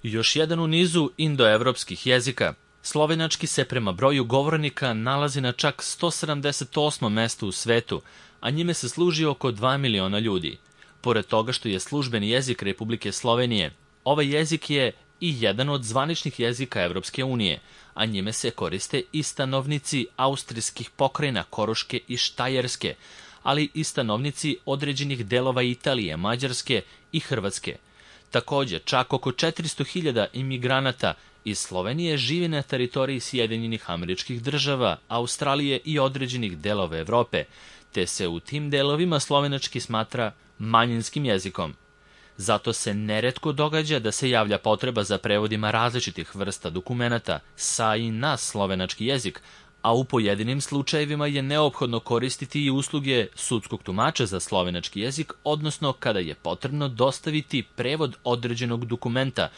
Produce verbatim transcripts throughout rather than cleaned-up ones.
Još jedan u nizu indoevropskih jezika. Slovenački se prema broju govornika nalazi na čak sto sedamdeset osmom mestu u svetu, a njime se služi oko dva miliona ljudi. Pored toga što je službeni jezik Republike Slovenije, ovaj jezik je i jedan od zvaničnih jezika Evropske unije, a njime se koriste i stanovnici austrijskih pokrajina Koroške i Štajerske, ali i stanovnici određenih delova Italije, Mađarske i Hrvatske. Takođe, čak oko četiristo hiljada imigranata iz Slovenije živi na teritoriji Sjedinjenih Američkih Država, Australije i određenih delova Evrope, te se u tim delovima slovenački smatra manjinskim jezikom. Zato se neretko događa da se javlja potreba za prevodima različitih vrsta dokumenata sa i na slovenački jezik, a u pojedinim slučajevima je neophodno koristiti i usluge sudskog tumača za slovenački jezik, odnosno kada je potrebno dostaviti prevod određenog dokumenta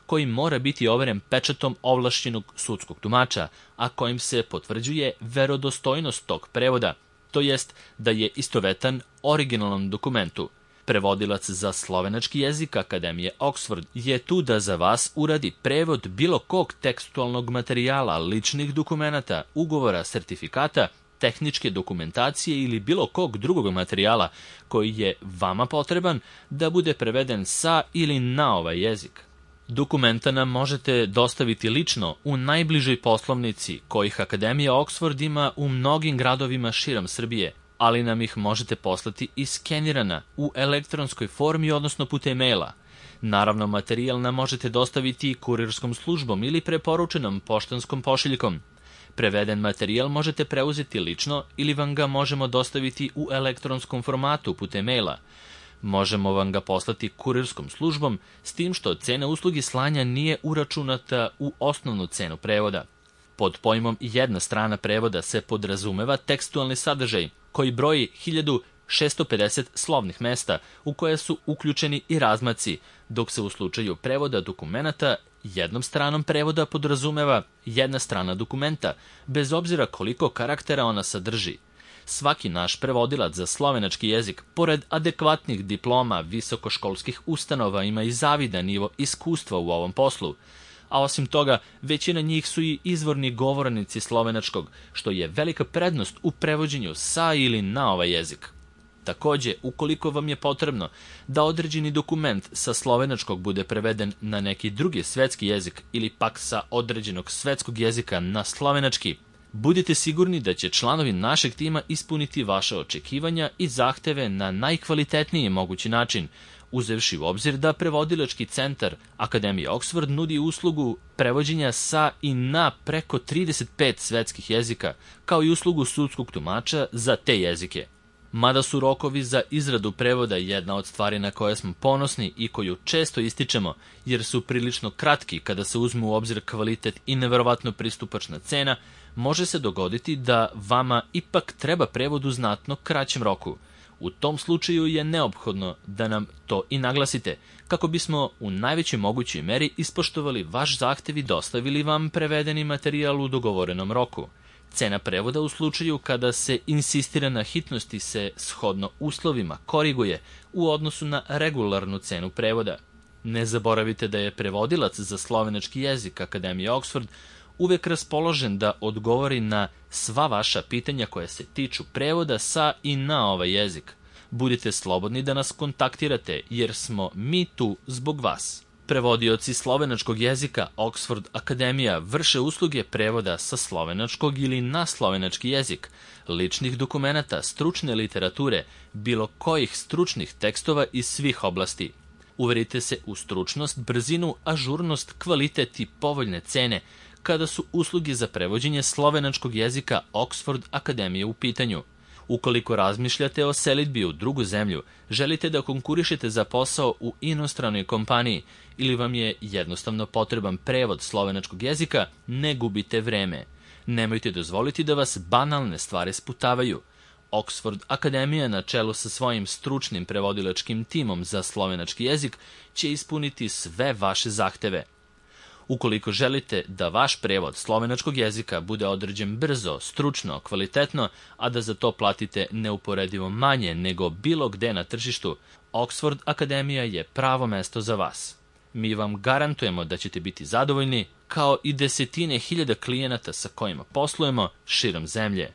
koji mora biti overen pečatom ovlašćenog sudskog tumača, a kojim se potvrđuje verodostojnost tog prevoda, to jest da je istovetan originalnom dokumentu. Prevodilac za slovenački jezik Akademije Oxford je tu da za vas uradi prevod bilo kog tekstualnog materijala, ličnih dokumenata, ugovora, sertifikata, tehničke dokumentacije ili bilo kog drugog materijala koji je vama potreban da bude preveden sa ili na ovaj jezik. Dokumenta nam možete dostaviti lično u najbližoj poslovnici, kojih Akademija Oxford ima u mnogim gradovima širom Srbije, ali nam ih možete poslati i skenirana u elektronskoj formi, odnosno putem maila. Naravno, materijal nam možete dostaviti kurirskom službom ili preporučenom poštanskom pošiljkom. Preveden materijal možete preuzeti lično ili vam ga možemo dostaviti u elektronskom formatu putem maila. Možemo vam ga poslati kurirskom službom, s tim što cena uslugi slanja nije uračunata u osnovnu cenu prevoda. Pod pojmom jedna strana prevoda se podrazumeva tekstualni sadržaj, koji broji hiljadu šesto pedeset slovnih mesta u koje su uključeni i razmaci, dok se u slučaju prevoda dokumenata jednom stranom prevoda podrazumeva jedna strana dokumenta, bez obzira koliko karaktera ona sadrži. Svaki naš prevodilac za slovenački jezik, pored adekvatnih diploma visokoškolskih ustanova, ima i zavidan nivo iskustva u ovom poslu, a osim toga, većina njih su i izvorni govornici slovenačkog, što je velika prednost u prevođenju sa ili na ovaj jezik. Takođe, ukoliko vam je potrebno da određeni dokument sa slovenačkog bude preveden na neki drugi svetski jezik ili pak sa određenog svetskog jezika na slovenački, budite sigurni da će članovi našeg tima ispuniti vaše očekivanja i zahteve na najkvalitetniji mogući način, uzevši u obzir da prevodilački centar Akademije Oxford nudi uslugu prevođenja sa i na preko trideset pet svetskih jezika, kao i uslugu sudskog tumača za te jezike. Mada su rokovi za izradu prevoda jedna od stvari na koje smo ponosni i koju često ističemo, jer su prilično kratki kada se uzme u obzir kvalitet i neverovatno pristupačna cena, može se dogoditi da vama ipak treba prevod u znatno kraćem roku. U tom slučaju je neophodno da nam to i naglasite, kako bismo u najvećoj mogućoj meri ispoštovali vaš zahtev i dostavili vam prevedeni materijal u dogovorenom roku. Cena prevoda u slučaju kada se insistira na hitnosti se shodno uslovima koriguje u odnosu na regularnu cenu prevoda. Ne zaboravite da je prevodilac za slovenački jezik Akademije Oxford uvek raspoložen da odgovori na sva vaša pitanja koja se tiču prevoda sa i na ovaj jezik. Budite slobodni da nas kontaktirate, jer smo mi tu zbog vas. Prevodioci slovenačkog jezika Oxford Akademija vrše usluge prevoda sa slovenačkog ili na slovenački jezik, ličnih dokumenata, stručne literature, bilo kojih stručnih tekstova iz svih oblasti. Uverite se u stručnost, brzinu, ažurnost, kvalitet i povoljne cene kada su usluge za prevođenje slovenačkog jezika Oxford Akademije u pitanju. Ukoliko razmišljate o selidbi u drugu zemlju, želite da konkurišete za posao u inostranoj kompaniji ili vam je jednostavno potreban prevod slovenačkog jezika, ne gubite vreme. Nemojte dozvoliti da vas banalne stvari sputavaju. Oxford Akademija na čelu sa svojim stručnim prevodilačkim timom za slovenački jezik će ispuniti sve vaše zahteve. Ukoliko želite da vaš prevod slovenačkog jezika bude određen brzo, stručno, kvalitetno, a da za to platite neuporedivo manje nego bilo gde na tržištu, Oxford Akademija je pravo mesto za vas. Mi vam garantujemo da ćete biti zadovoljni, kao i desetine hiljada klijenata sa kojima poslujemo širom zemlje.